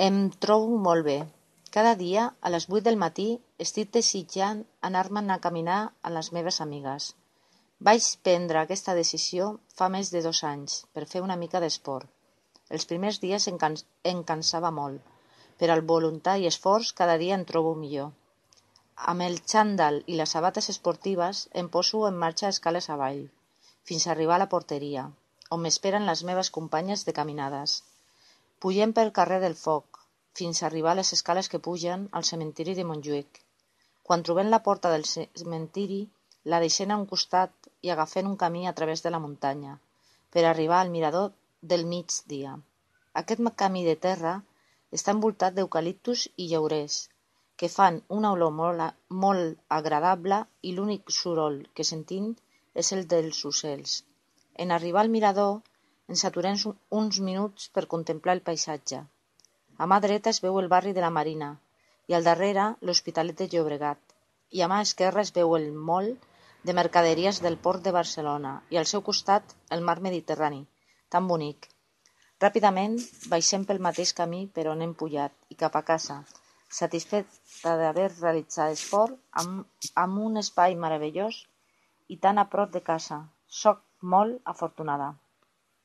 Em trobo molt bé. Cada dia, a les 8 del matí, estic desitjant anar-me'n a caminar amb les meves amigues. Vaig prendre aquesta decisió fa més de 2 anys per fer una mica d'esport. Els primers dies em cansava molt, però amb voluntat i esforç cada dia em trobo millor. Amb el xandall i les sabates esportives em poso en marxa escales avall, fins a arribar a la porteria, on m'esperen les meves companyes de caminades. Pugem pel carrer del Foc, fins a arribar a les escales que pugen al cementiri de Montjuïc. Quan trobem la porta del cementiri, la deixem a un costat i agafem un camí a través de la muntanya, per arribar al mirador del migdia. Aquest camí de terra està envoltat d'eucaliptus i llaurers, que fan una olor molt agradable i l'únic soroll que sentim és el dels ocells. En arribar al mirador, ens aturem uns minuts per contemplar el paisatge. A mà dreta es veu el barri de la Marina i al darrere l'Hospitalet de Llobregat, i a mà esquerra es veu el moll de mercaderies del Port de Barcelona i al seu costat el mar Mediterrani, tan bonic. Ràpidament baixem pel mateix camí per on hem pujat i cap a casa, satisfeta d'haver realitzat esport amb un espai meravellós i tan a prop de casa. Soc molt afortunada.